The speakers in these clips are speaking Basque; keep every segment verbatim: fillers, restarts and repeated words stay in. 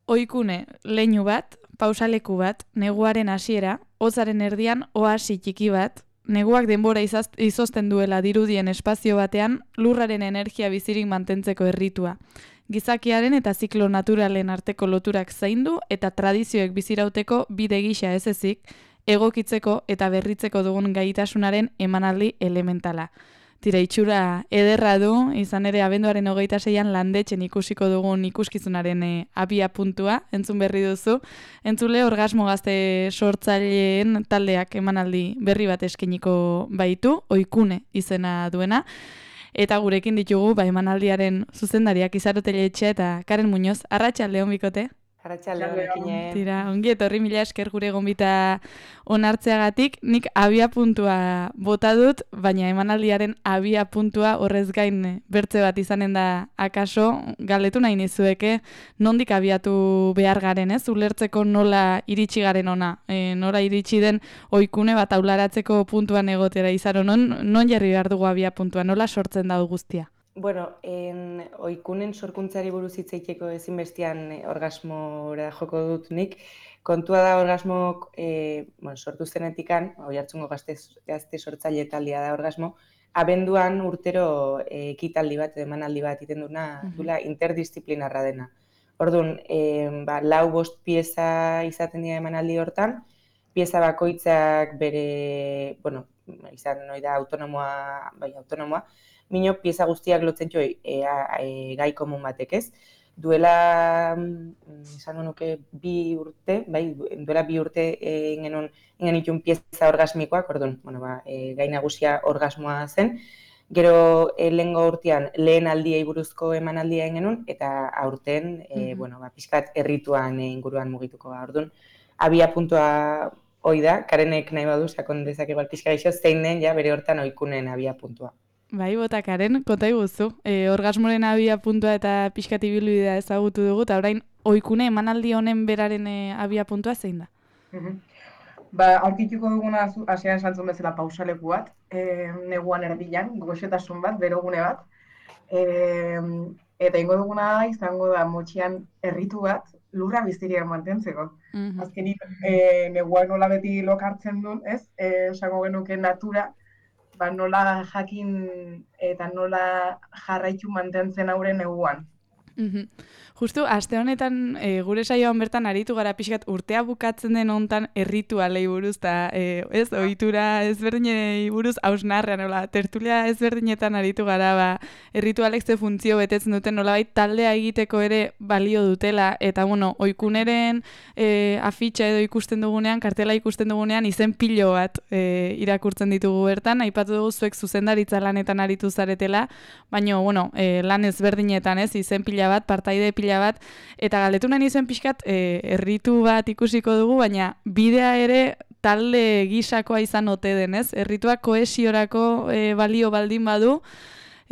Oikune, leinu bat, pausaleku bat, neguaren hasiera, hotzaren erdian oasi txiki bat, neguak denbora izaz, izozten duela dirudien espazio batean, lurraren energia bizirik mantentzeko erritua. Gizakiaren eta ziklo naturalen arteko loturak zaindu eta tradizioek bizirauteko bide gisa ez ezik, egokitzeko eta berritzeko dugun gaitasunaren emanaldi elementala. Tira, itxura ederra du, izan ere abenduaren hogeita zeian landetxen ikusiko dugun ikuskizunaren e, abia puntua, entzun berri duzu. Entzule, Orgasmo Gazte sortzaileen taldeak emanaldi berri bat eskeniko baitu, Oikune izena duena. Eta gurekin ditugu, ba, emanaldiaren zuzendariak Izarotele Etxe eta Karen Muñoz. Arratsalde on bikote. Arratsaldeon ekine. Tira, ongi etorri mila esker gure gonbita onartzeagatik. Nik abia puntua bota dut, baina emanaldiaren abia puntua horrez gain bertze bat izanen da akaso, galdetu nahi nizueke, nondik abiatu behar garen, ez? Ulertzeko nola iritsi garen ona, e, nola iritsi den oikune bat aularatzeko puntuan egotera izaro, non, non jarri behar dugu abia puntua, nola sortzen da guztia? Bueno, en, oikunen sorkuntzari buruz hitz egiteko ezinbestean eh, orgasmora joko dut nik. Kontua da orgasmok eh, bueno, sortu zenetikan, Oiartzungo gazte, gazte sortzaile taldea da orgasmo, abenduan urtero eh, ekitaldi bat, emanaldi bat iten duna, dula interdisciplinarra dena. Orduan, eh, ba, lau bost pieza izaten dira emanaldi hortan, pieza bakoitzak bere, bueno, izan noi da autonomoa, bai, autonomoa, Mino pieza guztiak lotzen jo e, e, gai komun batek, ez? Duela, esango nuke, bi urte, bai, duela bi urte ingenun ingenitun pieza orgasmikoak, orduan, bueno, ba, e, gai nagusia orgasmoa zen. Gero e, lehengo urtean lehen aldiei buruzko emanaldia ingenun, eta aurten, e, mm-hmm. bueno, ba, pixkat errituan e, inguruan mugituko. Orduan, abia puntua hoi da, Karenek nahi badu, sakon dezak igual pixka gaixo, zein den, ja, bere hortan oikunen abia puntua. Bai, botakaren, konta iguzu. E, orgasmoren abia puntua eta pixkati bilbidea ezagutu dugu, eta orain oikune emanaldi honen beraren e, abia puntua zein da? Mm-hmm. Ba, aurkituko duguna hasian esantzun bezala pausaleku bat, e, neguan erdilan, goxetasun bat, berogune bat, e, eta ingo duguna izango da motxian erritu bat, lurra biztiria mantentzeko. Mm-hmm. Azkenik, e, neguan nola beti lokartzen duen, ez? E, esango genuke natura, ba, nola jakin eta nola jarraitu mantentzen auren neguan. Mm-hmm. Justu, aste honetan e, gure saioan bertan aritu gara pixkat urtea bukatzen den hontan erritualei buruz, eta e, ez, ohitura ezberdinei buruz hausnarrean, nola, tertulia ezberdinetan aritu gara, ba, erritualek ze funtzio betetzen duten, nolabait taldea egiteko ere balio dutela, eta bueno, oikuneren e, afitxa edo ikusten dugunean, kartela ikusten dugunean, izen pilo bat e, irakurtzen ditugu bertan, aipatu dugu zuek zuzendaritza lanetan aritu zaretela, baina, bueno, e, lan ezberdinetan, ez, izen pila bat, partaide pila bat, eta galdetu nahi nizuen pixkat, e, erritu bat ikusiko dugu, baina bidea ere talde gisakoa izan ote denez, errituak kohesiorako e, balio baldin badu,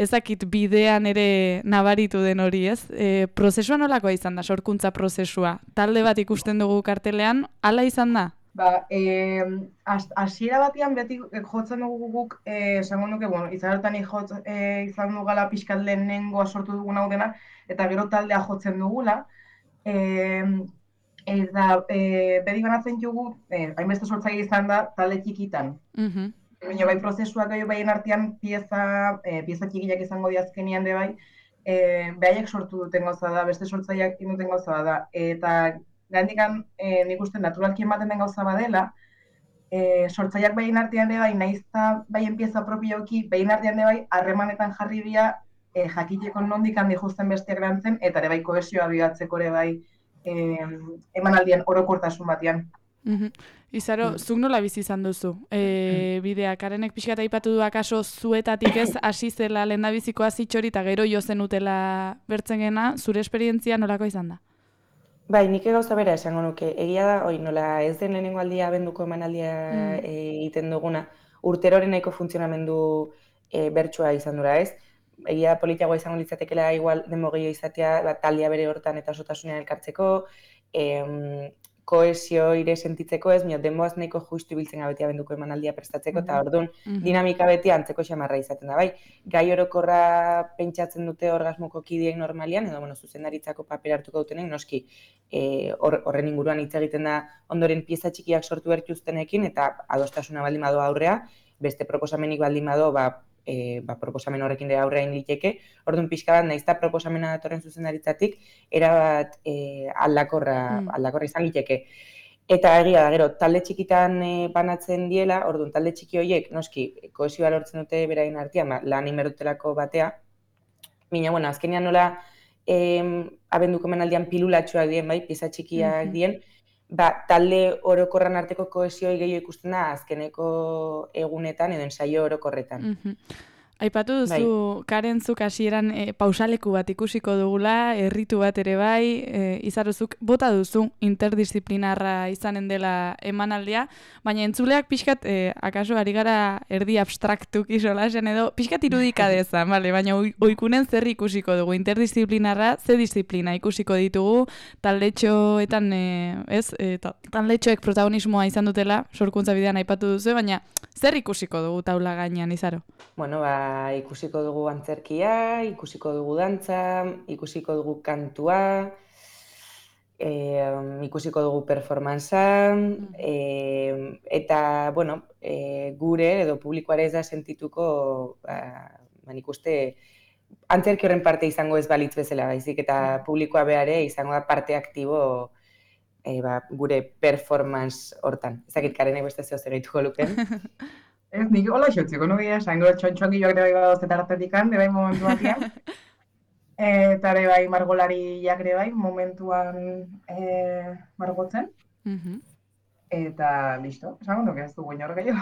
ezakit bidean ere nabaritu den hori, ez? E, prozesua nolakoa izan da, sorkuntza prozesua? Talde bat ikusten dugu kartelean, hala izan da? Ba, eh, hasiera batean beti jotzen dugu guk, eh, esango nuke, bueno, izarotan jotz, eh, izan dugala pixkat lehenengoa sortu dugun hau dena, eta gero taldea jotzen dugula, eh, eta eh, beti banatzen dugu, eh, hainbeste sortzaile izan da, talde txikitan. Mm-hmm. Baina bai prozesuak gai baien artean pieza, eh, pieza txikiak izango diazkenian de bai, eh, behaiek sortu duten gauza da, beste sortzaileak duten gauza da, eta gandikan eh, nik uste naturalki ematen den gauza badela, eh, sortzaileak behin artean ere bai, naizta baien pieza propioki, behin artean ere bai, harremanetan jarri dira, eh, jakiteko nondik handi justen bestiak lantzen, eta ere bai kohesioa bilatzeko ere bai eh, emanaldien orokortasun batean. Mm-hmm. Izaro, mm. zuk nola bizi izan duzu? E, bidea, Karenek pixkat aipatu du akaso zuetatik ez hasi zela lehendabiziko hasitxori eta gero jo zenutela bertzen gena, zure esperientzia nolako izan da? Bai, nik gauza bera esango nuke. Egia da, oi, nola ez den lehenengo aldia abenduko emanaldia mm. egiten duguna, urteroren nahiko funtzionamendu e, bertsua izan dura, ez? Egia politiagoa izango litzatekela igual denbogio izatea, bat, taldea bere hortan eta osotasunean elkartzeko, em, koesio ire sentitzeko ez, mio, denboaz nahiko justu ibiltzen gabetia benduko emanaldia prestatzeko, eta orduan dinamika beti antzeko xamarra izaten da, bai. Gai orokorra pentsatzen dute orgasmoko kideek normalian, edo bueno, zuzendaritzako paper hartuko dutenek, noski horren inguruan hitz egiten da ondoren pieza txikiak sortu bertuztenekin, eta adostasuna baldin bado aurrea, beste proposamenik baldin bado, ba, E, ba, proposamen horrekin dira aurrein liteke, orduan pixka bat, nahiz eta proposamena datorren zuzendaritzatik, erabat e, aldakorra, mm. aldakorra izan liteke. Eta egia da, gero, talde txikitan e, banatzen diela, orduan talde txiki horiek, noski, kohesioa lortzen dute beraien artean, ba, lan inberdutelako batea, mina, bueno, azkenean nola, e, abenduko menaldian pilulatxoak dien, bai, pieza txikiak mm-hmm. dien, ba, talde orokorran arteko kohesioi gehiago ikusten da azkeneko egunetan edo ensaio orokorretan. Mm-hmm. Aipatu duzu, bai. Karen, zuk hasieran e, pausaleku bat ikusiko dugula, erritu bat ere bai, e, izaruzuk bota duzu interdisciplinarra izanen dela emanaldia, baina entzuleak pixkat, e, akaso ari gara erdi abstraktuk isolasen edo, pixkat irudika dezan, vale? Baina oikunen zer ikusiko dugu, interdisciplinarra, ze disiplina ikusiko ditugu, taldetxoetan, e, ez, e, taldetxoek protagonismoa izan dutela, sorkuntza bidean aipatu duzu, baina zer ikusiko dugu taula gainean, Izaro? Bueno, ba, ikusiko dugu antzerkia, ikusiko dugu dantza, ikusiko dugu kantua, e, ikusiko dugu performanza, e, eta, bueno, e, gure edo publikoare ez da sentituko, ba, ban ikuste, antzerki horren parte izango ez balitz bezala, baizik, eta publikoa behare izango da parte aktibo e, ba, gure performance hortan. Ezakit, Karenek beste zeo zer gaituko luken. Ez, nik hola xotziko, no gira, zango txontxongi joak ere bai badozte tartetikan, de bai momentu batian. Eta ere bai margolariak ere bai momentuan e, margotzen. Uh-huh. Eta listo, esango nuke ez du guin hor gehiago,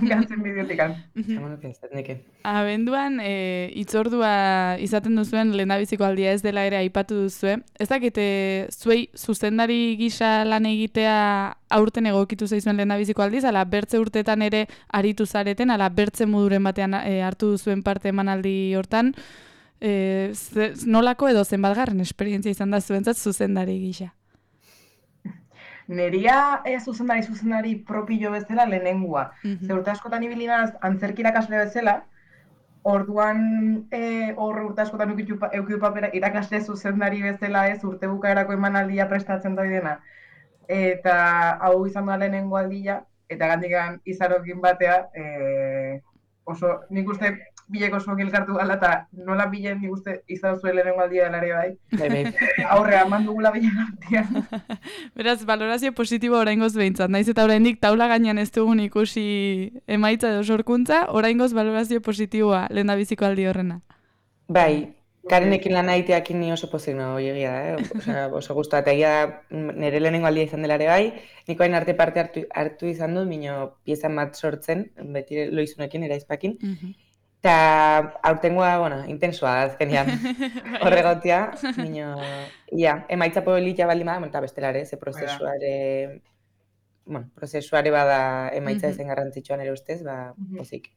gantzen bideotikan. Esango nuke ez, neke. Abenduan, e, itzordua izaten duzuen lehendabiziko aldia ez dela ere aipatu duzue. Ez dakite, zuei zuzendari gisa lan egitea aurten egokitu zaizuen lehendabiziko aldiz, ala bertze urteetan ere aritu zareten, ala bertze moduren batean e, hartu duzuen parte emanaldi hortan, e, ze, nolako edo zenbatgarren esperientzia izan da zuentzat zuzendari gisa? Neria e, zuzendari zuzendari propio bezala lehenengua. Mm-hmm. Ze urte askotan ibilinaz antzerki irakasle bezala, orduan e, hor urte askotan eukidu papera irakasle zuzendari bezala ez urte bukaerako emanaldia prestatzen da dena. Eta hau izan da lehenengo aldia, eta gandikan Izarokin batea, e, oso nik uste bilek oso gilkartu gala, eta nola bilen nik uste Izaro zuen lehenengo aldia dela ere bai. Aurrea, eman dugula bilen artean. Beraz, valorazio positibo oraingoz behintzat. Naiz eta oraindik taula gainean ez dugun ikusi emaitza edo sorkuntza, oraingoz valorazio positiboa lehendabiziko aldi horrena. Bai, Karenekin lan aiteakin ni oso pozik nago egia da, eh? Osa, oso guztua, eta egia nire lehenengo aldia izan dela ere bai, niko hain arte parte hartu, hartu izan dut, mino piezan bat sortzen, beti loizunekin, eraizpakin, uh-huh. Eta aurtengoa, bueno, intensua azkenean horregotia, mino, ia, emaitza politia baldin bada, eta bestelare, ze prozesuare, bueno, prozesuare bada emaitza ezen garrantzitsuan ere ustez, ba, pozik.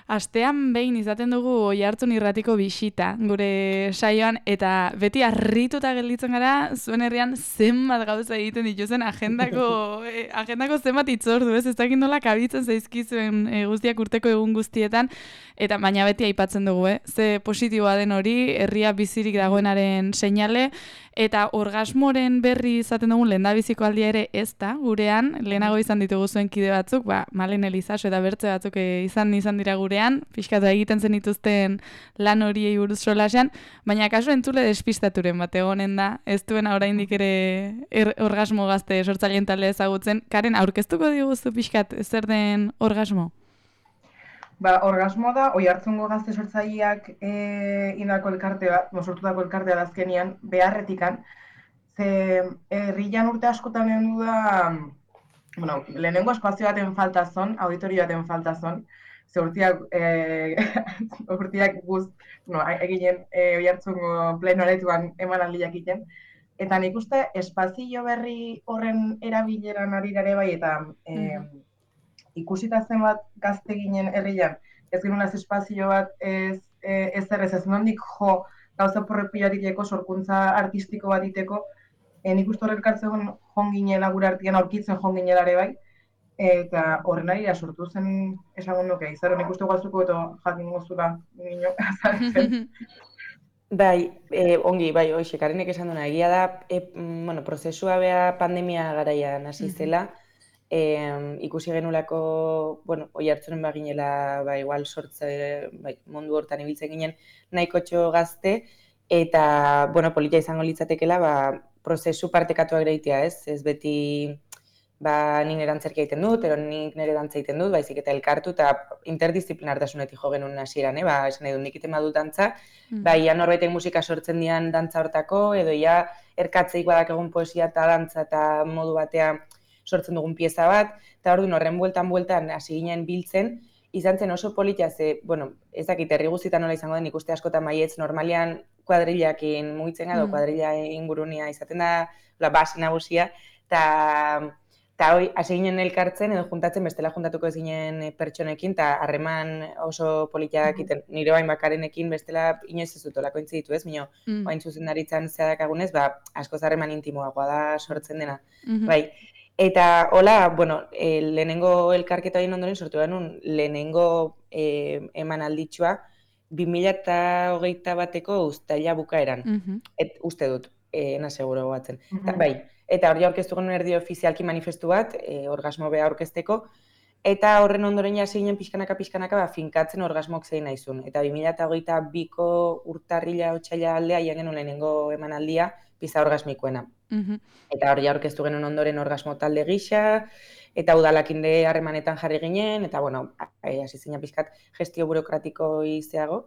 Astean behin izaten dugu Oihartzun irratiko bisita, gure saioan, eta beti harrituta gelditzen gara, zuen herrian zenbat gauza egiten dituzen agendako, eh, agendako zenbat itzordu, ez? Ez dakit nola kabitzen zaizkizuen eh, guztiak urteko egun guztietan, eta baina beti aipatzen dugu, eh? Ze positiboa den hori, herria bizirik dagoenaren seinale, eta orgasmoren berri izaten dugun lehendabiziko aldia ere ez da, gurean, lehenago izan ditugu zuen kide batzuk, ba, Malen Elizaso eta bertze batzuk izan izan dira gurean, pixkatu egiten zen dituzten lan horiei buruz solasean, baina kasu entzule despistaturen bat egonen da, ez duena oraindik ere er, orgasmo gazte sortzaileen talde ezagutzen. Karen, aurkeztuko diguzu pixkat zer den orgasmo? Ba, orgasmoa da, Oihartzungo gazte sortzaileak e, indako elkarte bat, sortutako elkartea da azkenian, beharretikan, ze herrian urte askotan egin du da, bueno, lehenengo espazio baten falta zon, auditorio baten falta zon, ze urtiak, e, urtiak guz, no, eginen e, Oihartzungo plenoaretuan emanaldiak egiten, eta nik uste espazio berri horren erabileran ari gare bai, eta e, mm-hmm. ikusita zenbat gazte ginen herrian, ez genuen espazio bat ez ez errez ez nondik jo gauza porrepilatik eko sorkuntza artistiko bat iteko, e, nik uste horrek kartzen jonginela gure artean aurkitzen jonginela ere bai, eta horren ari sortu zen esango nuke, izaro nik uste guazuko eta jakin gozula nino azaltzen. Bai, e, ongi, bai, hoxe, Karenek esan duna, egia da, e, bueno, prozesua bea pandemia garaian hasi zela, e, ikusi genulako, bueno, oi hartzunen baginela, ba, igual sortze, bai, mundu hortan ibiltzen ginen, nahiko txo gazte, eta, bueno, politia izango litzatekela, ba, prozesu partekatuak reitea, ez? Ez beti, ba, nik nire antzerkia egiten dut, ero nik nire dantza egiten dut, baizik eta elkartu, eta interdisciplinartasunetik jo genuen hasieran, eh? Ba, esan nahi dut, nik iten badut dantza, mm. ba, ia norbaitek musika sortzen dian dantza hortako, edo ia erkatzeik badak egun poesia eta dantza eta modu batea sortzen dugun pieza bat, eta orduan horren bueltan-bueltan hasi ginen biltzen, izan zen oso politia, ze, bueno, ez dakit, herri guztietan nola izango den, ikuste askotan maietz, normalian kuadrillakin mugitzen edo, mm. kuadrilla ingurunia izaten da, la base nagusia, eta eta hoi, hasi ginen elkartzen edo juntatzen, bestela juntatuko ez ginen pertsonekin, eta harreman oso politiak iten, nire bain bakarenekin, bestela inoiz ez dut olako intzi ditu ez, minio, mm. oain zuzendaritzan zeadakagunez, ba, askoz harreman intimoagoa da sortzen dena, mm-hmm. bai. Eta hola, bueno, e, lehenengo elkarketa egin ondoren sortu genuen lehenengo e, eman alditxua bi mila hogeita bateko uztaila bukaeran, mm-hmm. et, uste dut, e, na seguro batzen. Mm-hmm. Ta, bai, eta hori aurkeztu genuen erdi ofizialki manifestu bat, e, orgasmo beha aurkezteko, eta horren ondoren hasi ginen pixkanaka-pixkanaka ba, finkatzen orgasmok zein naizun. Eta bi mila hogeita biko urtarrila otsaila aldea hien genuen lehenengo emanaldia pizza orgasmikoena. Mm-hmm. Eta hori aurkeztu genuen ondoren orgasmo talde gisa, eta udalakinde harremanetan jarri ginen, eta bueno, hasi zinen pixkat gestio burokratiko izeago.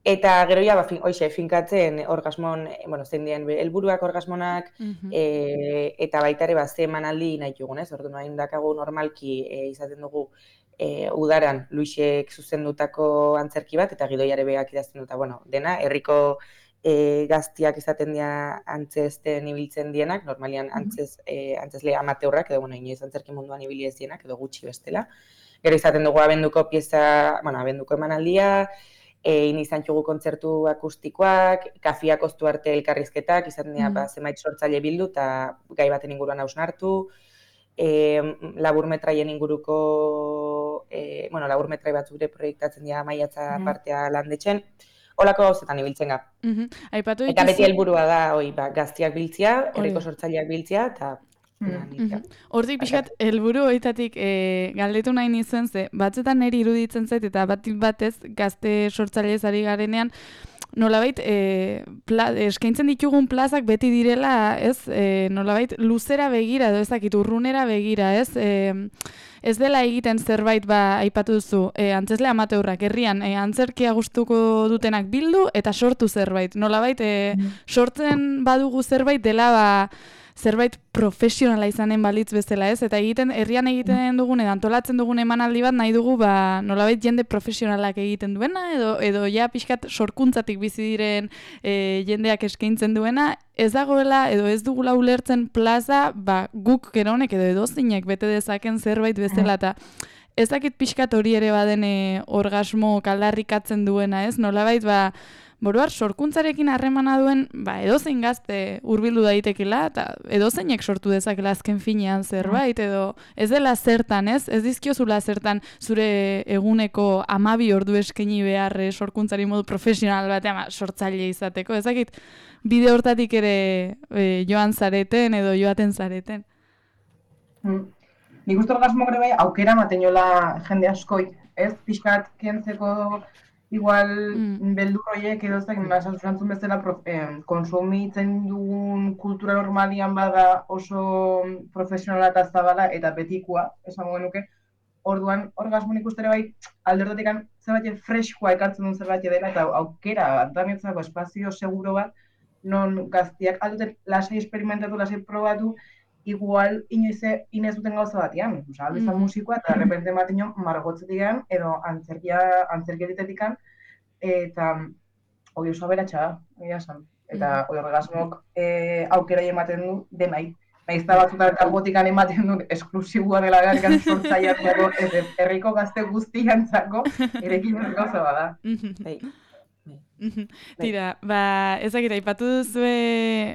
Eta gero ja, ba, fin, oixe, finkatzen orgasmon, bueno, zein dien helburuak orgasmonak, mm-hmm. e, eta baita ere, ba, ze emanaldi nahi dugun, ez? Orduan, hain dakagu normalki e, izaten dugu e, udaran Luisek zuzendutako antzerki bat, eta gidoiare beak idazten duta, bueno, dena, herriko e, gaztiak izaten dira antzesten ibiltzen dienak, normalian antzez, e, antzezle amateurrak, edo, bueno, inoiz antzerki munduan ibili ez dienak, edo gutxi bestela. Gero izaten dugu abenduko pieza, bueno, abenduko emanaldia, egin izan txugu kontzertu akustikoak, kafiak oztu arte elkarrizketak, izaten dira, mm. ba, zenbait sortzaile bildu, eta gai baten inguruan hausnartu, e, laburmetraien inguruko, e, bueno, laburmetrai bat zure proiektatzen dira maiatza mm. partea landetxen, holako gauzetan ibiltzen ga. Mm-hmm. Aipatu eta beti helburua da, oi, ba, gaztiak biltzia, herriko sortzaileak biltzia, eta Mm-hmm. Hortik pixkat, helburu horietatik e, galdetu nahi nizuen ze, batzetan niri iruditzen zait eta batik batez gazte sortzailez ari garenean, nolabait e, pla, eskaintzen ditugun plazak beti direla, ez, e, nolabait luzera begira edo ezakit urrunera begira, ez, e, ez dela egiten zerbait ba aipatu duzu, e, antzesle amateurrak herrian, e, antzerkia gustuko dutenak bildu eta sortu zerbait, nolabait e, sortzen badugu zerbait dela ba zerbait profesionala izanen balitz bezala, ez? Eta egiten herrian egiten dugun edo antolatzen dugun emanaldi bat nahi dugu ba nolabait jende profesionalak egiten duena edo edo ja pixkat sorkuntzatik bizi diren e, jendeak eskaintzen duena, ez dagoela edo ez dugula ulertzen plaza ba guk geronek edo edozeinek bete dezaken zerbait bezala eta ez dakit pixkat hori ere baden e, orgasmo kaldarrikatzen duena, ez? Nolabait ba Boruar, sorkuntzarekin harremana duen, ba, edozein gazte hurbildu daitekela, eta edozeinek sortu dezakela azken finean zerbait, edo ez dela zertan, ez? Ez dizkiozula zertan zure eguneko hamabi ordu eskaini behar sorkuntzari modu profesional batean sortzaile izateko. Ez dakit, bide hortatik ere e, joan zareten edo joaten zareten. Hmm. Nik uste orgasmo ere bai aukera ematen jola jende askoi, ez? Pixkat kentzeko igual mm. beldur horiek edo ezak, esantzun bezala eh, konsumitzen dugun kultura normalian bada oso profesionala eta zabala eta betikoa, esango genuke. Orduan, orgasmo nik uste ere bai alderdotik zerbait freskoa ekartzen duen zerbait dela eta aukera antanetzako espazio seguro bat non gaztiak alduten lasai esperimentatu, lasai probatu, igual inoiz inez duten gauza batean. Osa, aldo izan mm. musikoa eta repente bat ino margotzetik edo antzerkia, antzerkieritetik eta hori oso aberatxa da, egia esan. Eta hori orgasmok e, aukera ematen du denai. Naiz da batzutan karbotikan ematen du esklusibua dela garrikan sortzaileak dago, herriko gazte guztiantzako erekin gauza bada. Bai. Tira, ba, ezakit, aipatu duzue,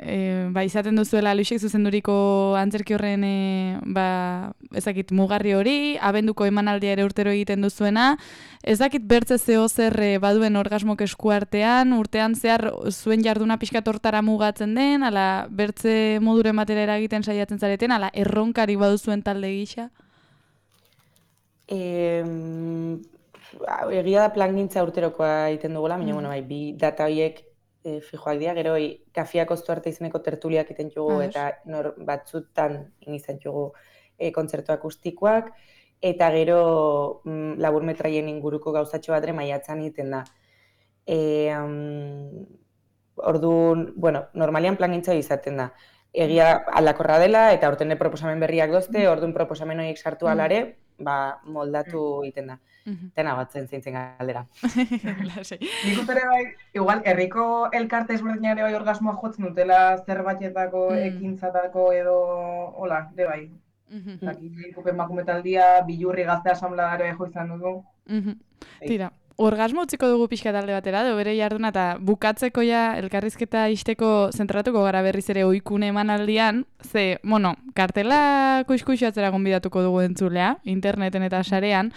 e, ba, izaten duzuela Luisek zuzenduriko antzerki horren, e, ba, ezakit, mugarri hori, abenduko emanaldia ere urtero egiten duzuena, ezakit bertze zeo zer e, baduen orgasmok eskuartean, urtean zehar zuen jarduna pixkat hortara mugatzen den, ala bertze moduren batera eragiten saiatzen zareten, ala erronkari baduzuen talde gisa? Eh, Egia da plangintza urterokoa egiten dugula, baina, mm. bueno, bai, bi data horiek e, fijoak dira, gero bai, Kafiak oztu arte izeneko tertuliak egiten dugu, eta nor, batzutan izan dugu e, kontzertu akustikoak, eta gero mm, laburmetraien inguruko gauzatxo bat ere maiatzan egiten da. E, um, orduan, bueno, normalian plangintza izaten da. Egia aldakorra dela, eta aurten proposamen berriak dozte, orduan proposamen horiek sartu alare, ba, moldatu egiten da. Tena batzen zeintzen galdera. Nik uste ere bai, igual, herriko elkarte ezberdinare bai orgasmoa jotzen dutela zerbaitetako, ekintzatako edo, hola, ere bai. Dakik, emakumetaldia, bilurri gazte asamladare jo izan dugu. Tira, orgasmo utziko dugu pixka talde batera, edo bere jarduna, eta bukatzeko ja elkarrizketa isteko zentratuko gara berriz ere oikune emanaldian, ze, bueno, kartela kuiskuixatzera gonbidatuko dugu entzulea, interneten eta sarean,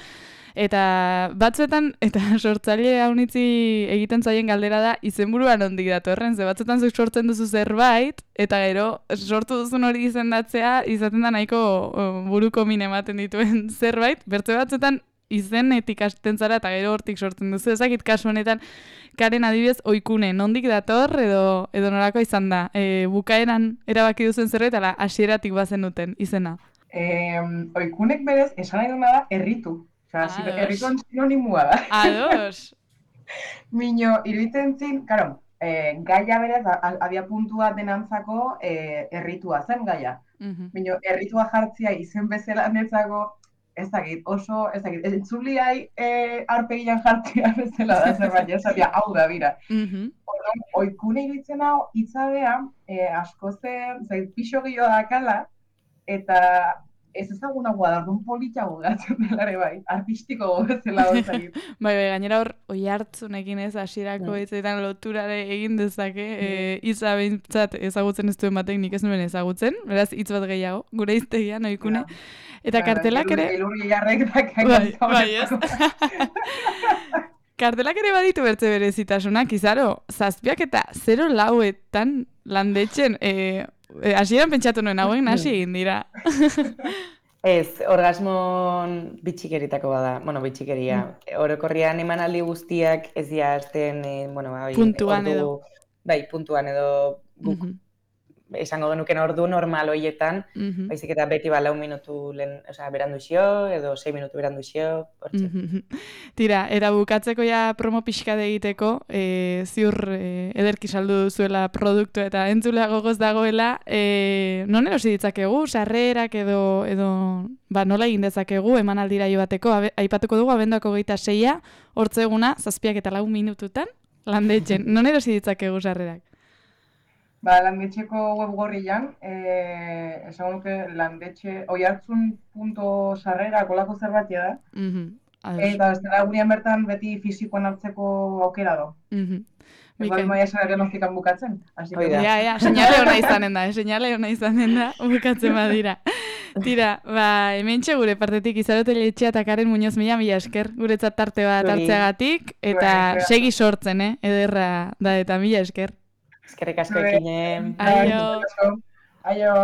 eta batzuetan, eta sortzaile haunitzi egiten zaien galdera da, izenburuan ondik datorren, ze batzuetan zuk sortzen duzu zerbait, eta gero sortu duzun hori izendatzea, izaten da nahiko buruko min ematen dituen zerbait, bertze batzuetan izenetik hasten zara eta gero hortik sortzen duzu. Ezakit kasu honetan, Karen adibidez oikune, nondik dator edo edo norako izan da? E, bukaeran erabaki duzen zerbait, ala hasieratik bazen duten izena? Eh, oikunek berez, esan nahi duna da, erritu. Osa, errituan sinonimua da. Ados! Mino, iruditzen zin, karo, eh, gaia berez, abia puntua denantzako eh, erritua zen gaia. Uh-huh. Mino, erritua jartzia izen bezala netzako, ez dakit, oso, ez dakit, entzuliai eh, arpegian jartzia bezala da zerbait, ez dakit, hau da, bira. Uh-huh. Orduan, oikune iruditzen hau, itzadea, eh, asko zen, zait, pixo gehiago dakala, eta ez ezagunagoa da, orduan politago gatzen delare bai, artistiko bezala dozakit. Bai, bai, gainera hor, oi hartzunekin ez, hasierako mm. etzetan loturare egin dezake, mm. e, hitza behintzat ezagutzen ez duen batek nik ez nuen ezagutzen, beraz hitz bat gehiago, gure iztegian, oikune. Ja. Eta kartelak ere... Elurri jarrek da bai, bai, ez? Kartelak ere baditu bertze berezitasunak, izaro, zazpiak eta zero lauetan landetxen, e, e, hasieran pentsatu nuen hauen hasi egin dira. Ez, orgasmon bitxikeritako bada, bueno, bitxikeria. Mm. Orokorrian emanaldi guztiak ez dira hasten, e, bueno, bai, puntuan ordu, edo. Bai, puntuan edo guk. Mm-hmm. Esango genuken ordu normal hoietan, mm-hmm. baizik eta beti ba lau minutu lehen, osea, berandu xio, edo sei minutu berandu xio, hortxe. Mm-hmm. Tira, eta bukatzeko ja promo pixka egiteko, e, ziur e, ederki saldu duzuela produktu eta entzulea gogoz dagoela, e, non erosi ditzakegu, sarrerak edo, edo ba, nola egin dezakegu emanaldira joateko, aipatuko dugu abenduako hogeita seia, hortzeguna, zazpiak eta lau minututan, landetxen, non erosi ditzakegu sarrerak? Ba, landetxeko webgorrian, eh, esan nuke landetxe, oihartzun puntu sarrera kolako zerbatia da. Mm-hmm. Eta ez dela gurean bertan beti fisikoan hartzeko aukera do. Mm-hmm. Ego maia esan agenozikan bukatzen. Ja, ja, seinale hona izanen da, seinale hona izanen da, bukatzen badira. Tira, ba, hemen gure partetik Izarote Letxea eta Karen Muñoz mila mila esker, guretzat tarte bat hartzeagatik, eta segi sortzen, eh, ederra da eta mila esker. Eskerrik asko ekinen. Aio. Aio.